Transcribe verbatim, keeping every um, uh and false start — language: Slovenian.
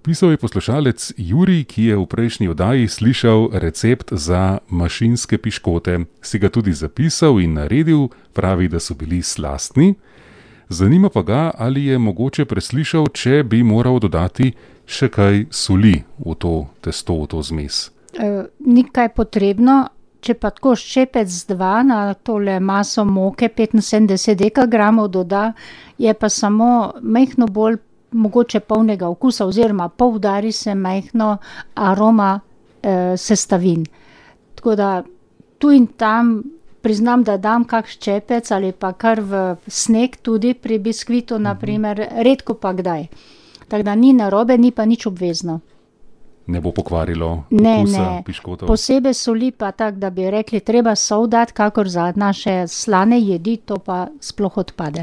Pisal je poslušalec Jurij, ki je v prejšnji oddaji slišal recept za mašinske piškote. Si ga tudi zapisal in naredil, pravi, da so bili slastni. Zanima pa ga, ali je mogoče preslišal, če bi moral dodati še kaj soli v to testo, v to zmes. E, ni kaj potrebno, če pa tako ščepec dva na tole maso moke petinsedemdeset dekagramov doda, je pa samo majhno bolj mogoče polnega okusa oziroma poudari se majhno aroma e, sestavin. Tako da tu in tam priznam, da dam kak ščepec ali pa kar v sneg tudi pri biskvitu, na primer, redko pa kdaj. Tako da ni narobe, ni pa nič obvezno. Ne bo pokvarilo ne, okusa ne. piškotov? Posebej soli pa tak, da bi rekli, treba sol dati, kakor za naše slane jedi, to pa sploh odpade.